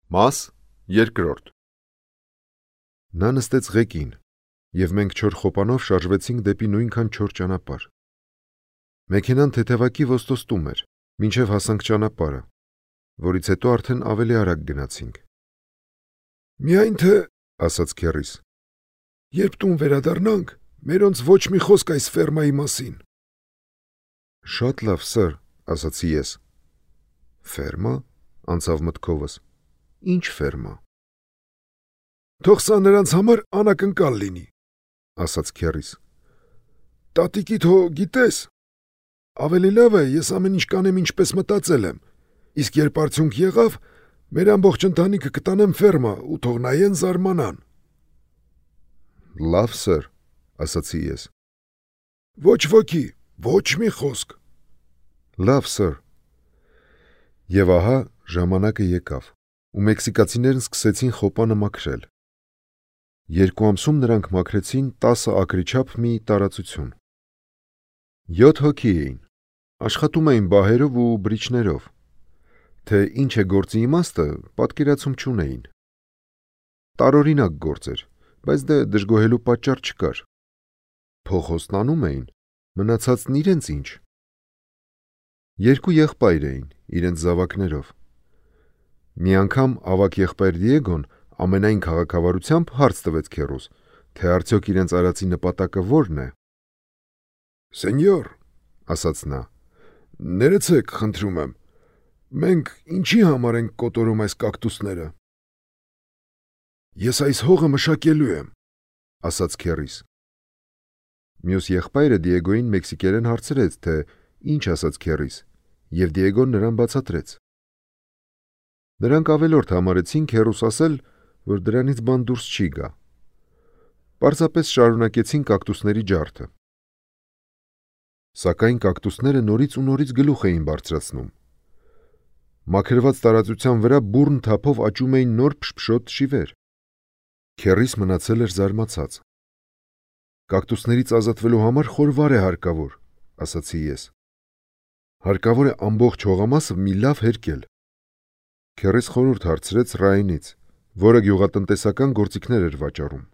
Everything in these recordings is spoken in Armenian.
Մաս երկրորդ Նա նստեց ղեկին, և մենք չոր խոպանով շարժվեցինք դեպի նույնքան չոր ճանապարհ։ Մեքենան թեթևակի ոստոստում էր, մինչև հասանք ճանապարհը, որից հետո արդեն ավելի արագ գնացինք։ «Միայն թե, ասաց քեռիս, երբ տուն վերադառնանք, մերոնց ոչ մի խոսք այս ֆերմայի մասին»։ «Շատ լավ, սըր», ասացի ես։ «Ֆերմա», անցավ մտքովս։ «Ինչ ֆերմա»։ «Թող սա նրանց համար անակնկալ լինի», ասաց քեռիս։ «Տատիկիդ հո գիտես։ Ավելի լավ է, ես ամեն ինչ կանեմ ինչպես մտածել եմ, իսկ երբ արդյունք եղավ, մեր ամբողջ ընտանիքը կտանեմ ֆերմա ու թող նայեն զարմանան»։ «Լավ, սըր», ասացի ես։ «Ոչ ոքի, ոչ մի խոսք»։ «Լավ, սըր»։ Եվ ահա ժամանակը եկավ, ու մեքսիկացիներն սկսեցին խոպանը մաքրել։ 2 ամսում նրանք մաքրեցին 10 ակրի չափ մի տարածություն։ 7 հոգի էին, աշխատում էին բահերով ու բրիչներով, թե ինչ է գործի իմաստը, պատկերացում չունեին։ Տարօրինակ գործ էր, բայց դե դժգոհելու պատճառ չկար։ Փոխոստն անում էին, մնացածն իրենց ինչ։ 2 եղբայր էին, իրենց զավակներով։ Մի անգամ ավագ եղբայր Դիեգոն ամենայն քաղաքավարությամբ հարց տվեց քեռուս, թե արդյոք իրենց արածի նպատակը որն է։ «Սենյոր», ասաց նա, «ներեցեք, խնդրում եմ, մենք ինչի համար ենք կոտորում այս կակտուսները»։ «Ես այս հողը մշակելու եմ», ասաց քեռիս։ Մյուս եղբայրը Դիեգոյին մեքսիկերեն հարցրեց, թե ինչ ասաց քեռիս, և Դիեգոն նրան բացատրեց։ Նրանք ավելորդ համարեցին քեռուս ասել, որ դրանից բան դուրս չի գա։ Պարզապես շարունակեցին կակտուսների ջարդը։ Սակայն կակտուսները նորից ու նորից գլուխ էին բարձրացնում։ Մաքրված տարածության վրա բուռն թափով աճում էին նոր փշփշոտ շիվեր։ Քեռիս մնացել էր զարմացած։ «Կակտուսներից ազատվելու համար խորվար է հարկավոր», ասացի ես։ «Հարկավոր է ամբողջ հողամասը մի լավ հերկել»։ Քեռիս խորհուրդ հարցրեց Ռաենից, որը գյուղատնտեսական գործիքներ էր վաճառում։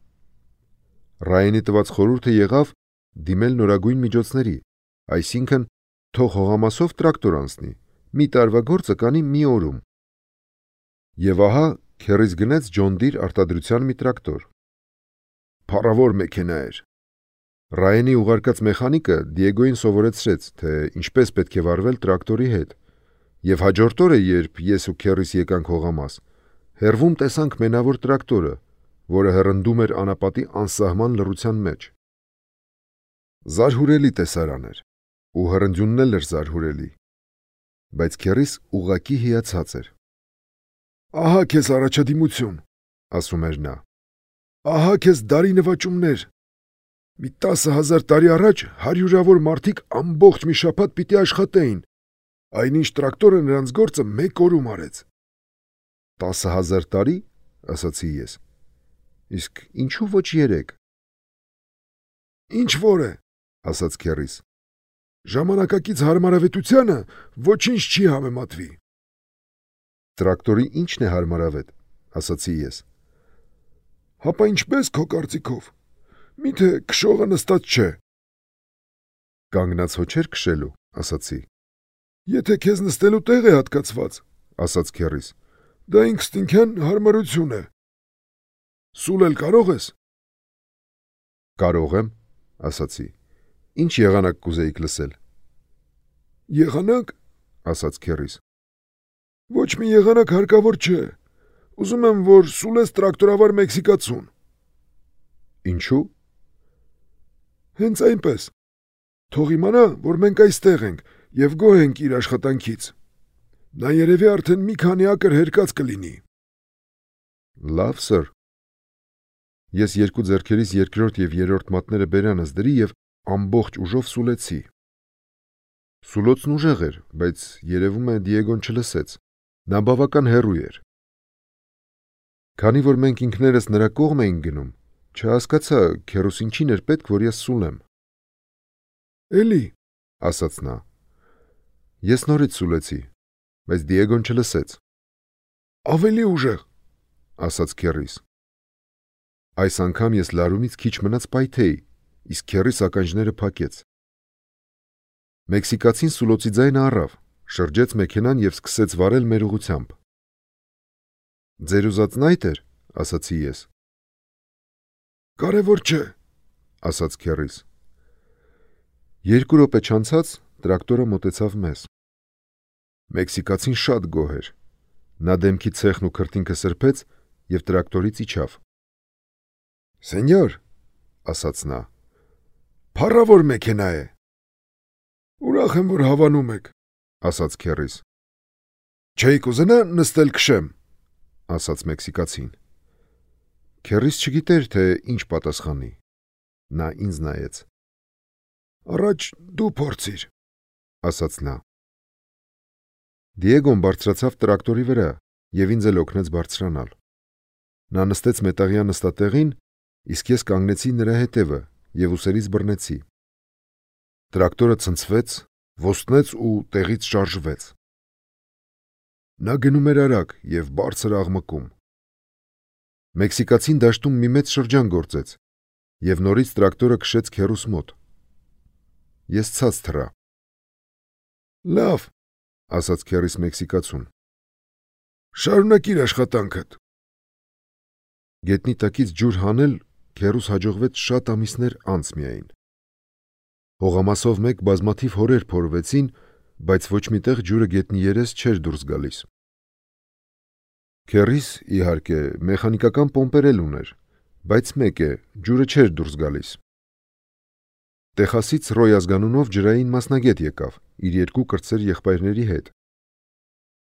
Ռաենի տված խորհուրդը եղավ դիմել նորագույն միջոցների, այսինքն թող հողամասով տրակտոր անցնի, մի տարվա գործը կանի մի օրում։ Եվ ահա քեռիս գնեց Ջոն Դիր արտադրության մի տրակտոր։ Փառավոր մեքենա էր։ Ռաենի ուղարկած մեխանիկը Դիեգոյին սովորեցրեց, թե ինչպես պետք է վարվել տրակտորի հետ, և հաջորդ օրը, երբ ես ու քեռիս եկանք հողամաս, հեռվում տեսանք մենավոր տրակտորը, որը հռնդում էր անապատի անսահման լռության մեջ։ Զարհուրելի տեսարան էր, ու հռնդյունն էլ էր զարհուրելի, բայց քեռիս ուղղակի հիացած էր։ «Ահա քեզ առաջադիմություն», ասում էր նա։ «Ահա քեզ դարի նվաճումներ։ Մի 10,000 տարի առաջ հարյուրավոր մարդիկ ամբողջ մի շաբաթ պիտի աշխատեին, այնինչ տրակտորը նրանց գործը մեկ օրում արեց»։ 10,000 տարի, ասացի ես։ Իսկ ինչու ոչ 3։ «Ինչ որ է», ասաց քեռիս։ «Ժամանակակից հարմարավետությանը ոչինչ չի համեմատվի»։ Տրակտորի ի՞նչն է հարմարավետ, ասացի ես։ «Հապա ինչպես քո կարծիքով, միթե քշողը նստած չէ»։ «Կանգնած հո չէր քշելու», ասացի։ «Եթե քեզ նստելու տեղ է հատկացված», ասաց քեռիս, «դա ինքնըստինքյան հարմարություն է։ Սուլել կարող ես»։ «Կարող եմ», ասացի։ «Ինչ եղանակ կուզեիք լսել»։ «Եղանակ», ասաց քեռիս։ «Ոչ մի եղանակ հարկավոր չէ։ Ուզում եմ, որ սուլես տրակտորավար մեքսիկացուն»։ «Ինչու»։ «Հենց այնպես։ Թող իմանա, որ մենք այստեղ ենք և գոհ ենք իր աշխատանքից։ Նա երևի արդեն մի քանի ակր հերկած կլինի»։ «Լավ, սըր»։ Ես 2 ձեռքերիս երկրորդ և երրորդ մատները բերանս դրի և ամբողջ ուժով սուլեցի։ Սուլոցն ուժեղ էր, բայց երևում է Դիեգոն չլսեց։ Նա բավական հեռու էր։ Քանի որ մենք ինքներս նրա կողմ էինք գնում, չհասկացա քեռուս ինչին էր պետք, որ ես սուլեմ։ «Էլի», ասաց նա։ Ես նորից սուլեցի, բայց Դիեգոն չլսեց։ Ավելի ուժեղ, ասաց քեռիս։ Այս անգամ ես լարումից քիչ մնաց պայթեի, իսկ քեռիս ականջները փակեց։ Մեքսիկացին սուլոցի ձայնը առավ, շրջեց մեքենան եւ սկսեց վարել մեր ուղությամբ։ Ձեր ուզածն այդ էր, ասացի ես։ Կարևոր չէ, ասաց քեռիս։ 2 րոպե չանցած տրակտորը մոտեցավ մեզ։ Մեքսիկացին շատ գոհ էր։ Նա դեմքի ցեխն ու քրտինքը սրբեց եւ տրակտորից իջավ։ Սենյոր, ասաց նա, փառավոր մեքենա է։ Ուրախ եմ, որ հավանում եք, ասաց քեռիս։ Չէիք ուզենա նստել քշեմ, ասաց մեքսիկացին։ Քեռիս չգիտեր, թե ինչ պատասխանի։ Նա ինձ նայեց։ Առաջ դու փորձիր, ասաց նա։ Դիեգոն բարձրացավ տրակտորի վրա եւ ինձ էլ օգնեց բարձրանալ։ Նա նստեց մետաղյա նստատեղին, իսկ ես կանգնեցի նրա հետևը եւ ուսերից բռնեցի։ Տրակտորը ցնցվեց, ոստնեց ու տեղից շարժվեց։ Նա գնում էր արագ եւ բարձր աղմկում։ Մեքսիկացին դաշտում մի մեծ շրջան գործեց եւ նորից տրակտորը քշեց քեռուս մոտ։ Ես ցած թռա։ Լավ, ասաց քեռիս մեքսիկացուն։ Շարունակիր աշխատանքդ։ Գետնի տակից ջուր հանել քեռուս հաջողվեց շատ ամիսներ անց միայն։ Հողամասով մեկ բազմաթիվ հորեր փորվեցին, բայց ոչ միտեղ ջուրը գետնի երես չէր դուրս գալիս։ Քեռիս, իհարկե, մեխանիկական պոմպեր էլ ուներ, բայց մեկ է, ջուրը չէր դուրս գալիս։ Տեխասից Ռոյ ազգանունով ջրային մասնագետ եկավ իր 2 կրտսեր եղբայրների հետ։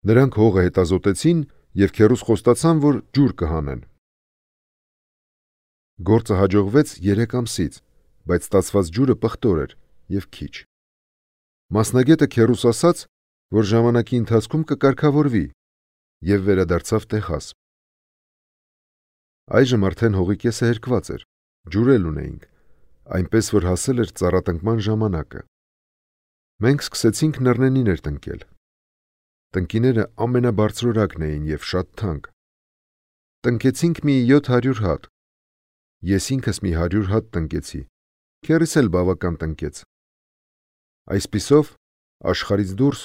Նրանք հողը հետազոտեցին եւ քեռուս խոստացան, որ ջուր կհանեն։ Գործը հաջողվեց 3 ամսից, բայց ստացված ջուրը պղտոր էր եւ քիչ։ Մասնագետը քեռուս ասաց, որ ժամանակի ընթացքում կկարգավորվի եւ վերադարձավ Տեխաս։ Այժմ արդեն հողի կեսը հերկված էր, ջուր էլ ունեինք, այնպես որ հասել էր ծառատնկման ժամանակը։ Մենք սկսեցինք նռնենիներ տնկել։ Տնկիները ամենաբարձրորակն էին եւ շատ թանկ։ Տնկեցինք մի 700 հատ։ Ես ինքս մի 100 հատ տնկեցի։ Քեռիս էլ բավական տնկեց։ Այսպիսով, աշխարհից դուրս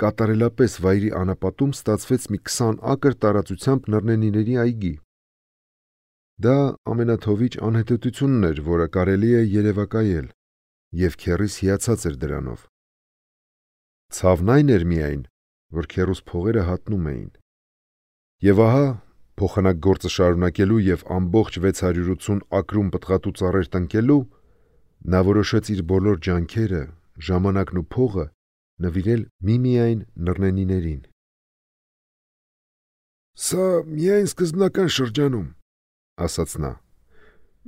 կատարելապես վայրի անապատում ստացվեց մի 20 ակր տարածությամբ նռնենիների այգի։ Դա ամենաթովիճ անհետեթությունն էր, որը կարելի է երևակայել, եւ քեռիս հիացած էր դրանով։ Ցավն այն էր միայն, որ քեռուս փողերը հատնում էին։ Եվ ահա, փոխանակ գործը շարունակելու եւ ամբողջ 680 ակրում պտղատու ծառեր տնկելու, նա որոշեց իր բոլոր ջանքերը, ժամանակն ու փողը նվիրել միմիայն նռնենիներին։ Սա միայն սկզբնական շրջանում, ասաց նա։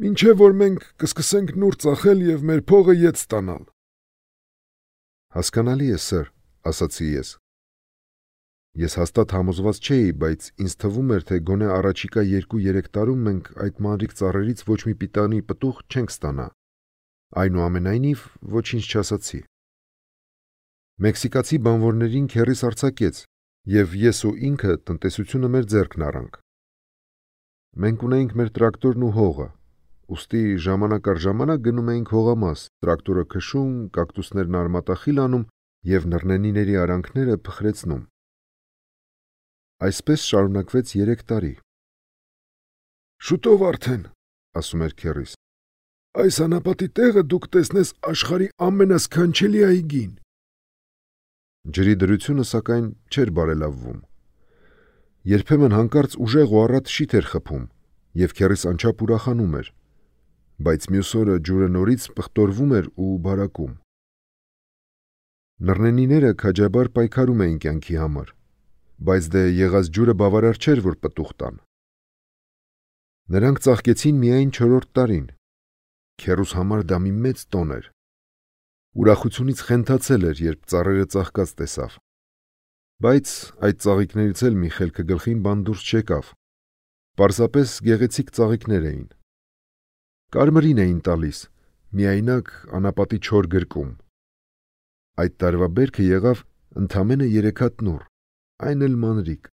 Մինչև որ մենք կսկսենք նուր ծախել եւ մեր փողը ետ ստանալ։ Հասկանալի է, սըր, ասացի ես։ Ես հաստատ համոզված չէի, բայց ինձ թվում էր, թե գոնե առաջիկա 2-3 տարում մենք այդ մանրիկ ծառերից ոչ մի պիտանի պտուղ չենք ստանա։ Այնուամենայնիվ ոչինչ չասացի։ Մեքսիկացի բանվորներին քեռիս արձակեց, եւ ես ու ինքը տնտեսությունը մեր ձեռքն առանք։ Մենք ունեինք մեր տրակտորն ու հողը, ուստի ժամանակ առ ժամանակ գնում էինք հողամաս, տրակտորը քշում, կակտուսներն արմատախիլ անում եւ նռնենիների արանքները փխրեցնում։ Այսպես շարունակվեց 3 տարի։ Շուտով արդեն, ասում էր քեռիս, այս անապատի տեղը դուք տեսնես աշխարհի ամենասքանչելի այգին։ Ջրի դրությունը սակայն չէր բարելավվում։ Երբեմն հանկարծ ուժեղ ու առատ շիթ էր խփում, եւ քեռիս անչափ ուրախանում էր, բայց մյուս օրը ջուրը նորից պղտորվում էր ու բարակում։ Նռնենիները քաջաբար պայքարում էին կյանքի համար, բայց դե եղած ջուրը բավարար չէր, որ պտուղ տան։ Նրանք ծաղկեցին միայն 4-րդ տարին։ Քեռուս համար դա մի մեծ տոն էր։ Ուրախությունից խենթացել էր, երբ ծառերը ծաղկած տեսավ։ Բայց այդ ծաղիկներից էլ մի խելքը գլխին բան դուրս չեկավ։ Պարզապես գեղեցիկ ծաղիկներ էին։ Կարմրին էին տալիս, միայնակ անապատի չոր գրկում։ Այդ տարվա բերքը եղավ ընդամենը 3 հատ նուռ, այն էլ մանրիկ։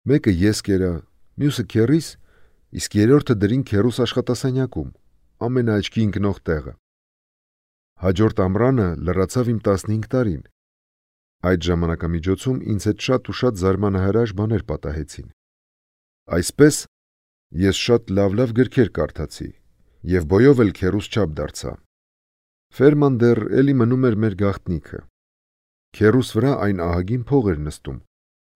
Մեկը ես կերա, մյուսը քեռիս, իսկ երրորդը դրին քեռուս աշխատասենյակում, ամենաաչքի ընկնող տեղը։ Հաջորդ ամռանը լրացավ իմ 15 տարին։ Այդ ժամանակամիջոցում ինձ հետ շատ ու շատ զարմանահրաշ բաներ պատահեցին։ Այսպես ես շատ լավ գրքեր կարդացի եւ բոյով էլ քեռուս չափ դարձա։ Ֆերման դեռ էլի մնում էր մեր գաղտնիքը։ Քեռուս վրա այն ահագին փող էր նստում,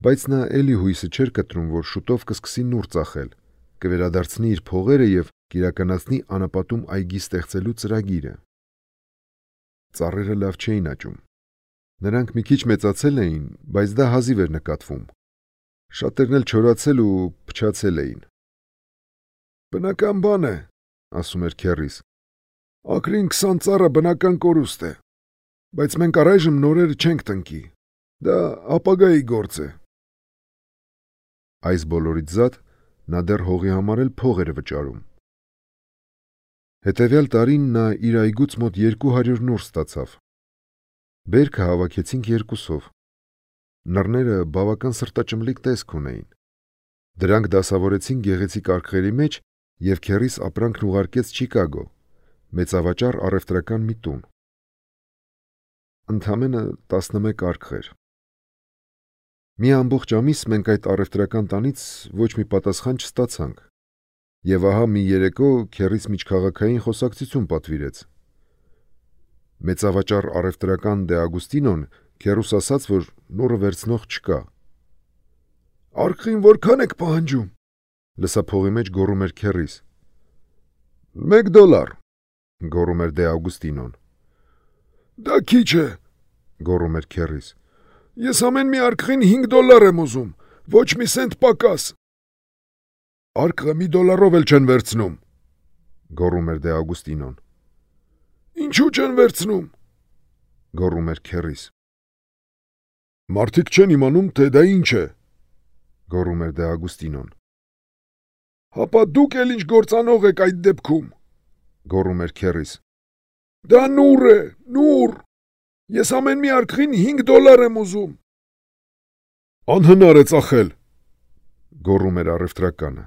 բայց նա էլի հույսը չէր կտրում, որ շուտով կսկսի նուռ ծախել, կվերադարձնի իր փողերը եւ կիրականացնի անապատում այգի ստեղծելու ծրագիրը։ Ծառերը լավ չէին աճում։ Նրանք մի քիչ մեծացել էին, բայց դա հազիվ էր նկատվում։ Շատերն էլ չորացել ու փչացել էին։ Բնական բան է, ասում էր քեռիս։ Ակրին 20 ծառը բնական կորուստ է, բայց մենք առայժմ նորերը չենք տնկի։ Դա ապագայի գործ է։ Այս բոլորից զատ նա դեռ հողի համար էլ փող էր վճարում։ Հետևյալ տարին նա իր այգուց մոտ 200 նուռ ստացավ։ Բերքը հավաքեցինք երկուսով։ Նռները բավական սրտաճմլիկ տեսք ունեին։ Դրանք դասավորեցին գեղեցիկ արկղերի մեջ եւ քեռիս ապրանքն ուղարկեց Չիկագո, մեծավաճառ առևտրական մի տուն։ Ընդամենը 11 արկղեր։ Մի ամբողջ ամիս մենք այդ առևտրական տանից ոչ մի պատասխան չստացանք։ Եվ ահա մի երեկո քեռիս միջքաղաքային խոսակցություն պատվիրեց։ Մեծավաճառ առևտրական Դե Ագուստինոն քեռուս ասաց, որ նուռը վերցնող չկա։ Արկղին որքան եք պահանջում, լսափողի մեջ գոռում էր քեռիս։ $1, գոռում էր Դե Ագուստինոն։ Դա քիչ է, գոռում էր քեռիս։ Ես ամեն մի արկղին $5 եմ ուզում, ոչ մի սենտ պակաս։ Արկղը $1 էլ չեն վերցնում, գոռում էր Դե Ագուստինոն։ Ինչու չեն վերցնում, գոռում էր քեռիս։ Մարդիկ չեն իմանում, թե դա ինչ է, գոռում էր Դե Ագուստինոն։ Հապա դուք էլ ինչ գործանող եք այդ դեպքում, գոռում էր քեռիս։ Դա նուռ է, նուռ։ Ես ամեն մի արկղին $5 եմ ուզում։ Անհնար է ծախել, գոռում էր առևտրականը։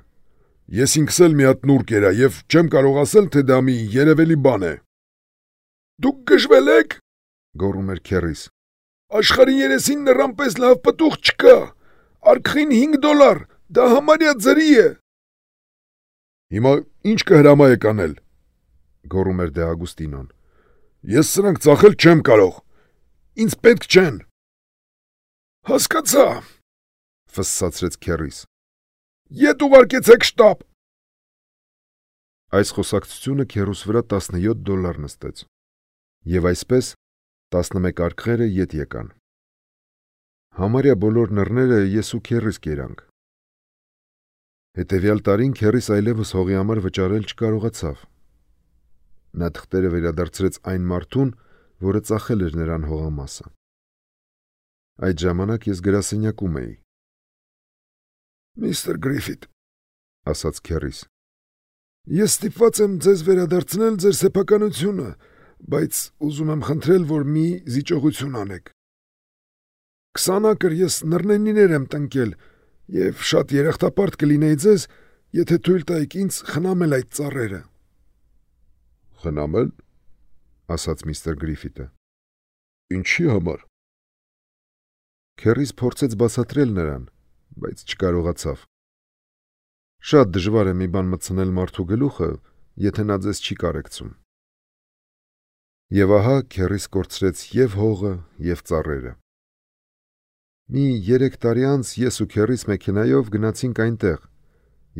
Ես ինքս էլ մի հատ նուռ կերա եւ չեմ կարող ասել, թե դա մի երևելի բան է։ Դուք գժվել եք, գոռում էր քեռիս։ Աշխարհի երեսին նրան պես լավ պտուղ չկա։ Արկղին $5, դա համարյա ձրի է։ Հիմա ինչ կհրամայեք անել, գոռում էր Դե Ագուստինոն։ Ես սրանք ծախել չեմ կարող։ Ինձ պետք չեն։ Հասկացա, ֆսսացրեց քեռիս։ Ետ ուղարկեցեք շտաբ։ Այս խոսակցությունը քեռուս վրա $17 նստեց։ Եվ այսպես 11 արկղերը ետ եկան։ Համարյա բոլոր նռները ես ու քեռիս կերանք։ Հետևյալ տարին քեռիս այլևս հողի համար վճարել չկարողացավ։ Նա թղթերը վերադարձրեց այն մարդուն, որը ծախել էր նրան հողամասը։ Այդ ժամանակ ես գրասենյակում էի։ Միստր Գրիֆիթ, ասաց քեռիս, ես ստիպված եմ ձեզ վերադարձնել ձեր սեփականությունը, բայց ուզում եմ խնդրել, որ մի զիջողություն անեք։ 20 ակր ես նռնենիներ եմ տնկել եւ շատ երախտապարտ կլինեի ձեզ, եթե թույլ տայիք ինձ խնամել այդ ծառերը։ Խնամել, ասաց միստր Գրիֆիթը։ Ինչի համար։ Քեռիս փորձեց բացատրել նրան, բայց չկարողացավ։ Շատ դժվար է մի բան մտցնել մարդու գլուխը, եթե նա ձեզ չի կարեկցում։ Եվ ահա քեռիս կորցրեց եւ հողը, եւ ծառերը։ Մի 3 տարի անց ես ու քեռիս մեքենայով գնացինք այնտեղ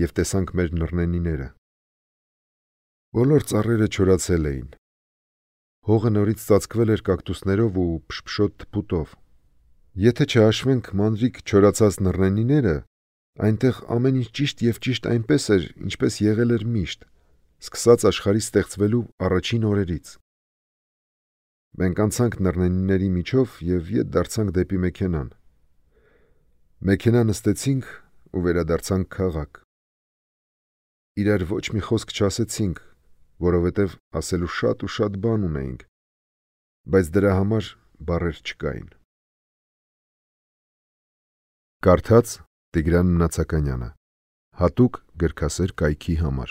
եւ տեսանք մեր նռնենիները։ Բոլոր ծառերը չորացել էին։ Հողը նորից ծածկվել էր կակտուսներով ու փշփշոտ թփուտով։ Եթե չհաշվենք մանրիկ չորացած նռնենիները, այնտեղ ամեն ինչ ճիշտ եւ ճիշտ այնպես էր, ինչպես եղել էր միշտ, սկսած աշխարհի ստեղծվելու առաջին օրերից։ Մենք անցանք նռնենիների միջով եւ ետ դարձանք դեպի մեքենան։ Մեքենա նստեցինք ու վերադարձանք քաղաք։ Իրար ոչ մի խոսք չասեցինք, որովհետև ասելու շատ ու շատ բան ունեինք, բայց դրա համար բառեր չկային։ Կարդաց Տիգրան Նացականյանը, հատուկ գրքասեր կայքի համար։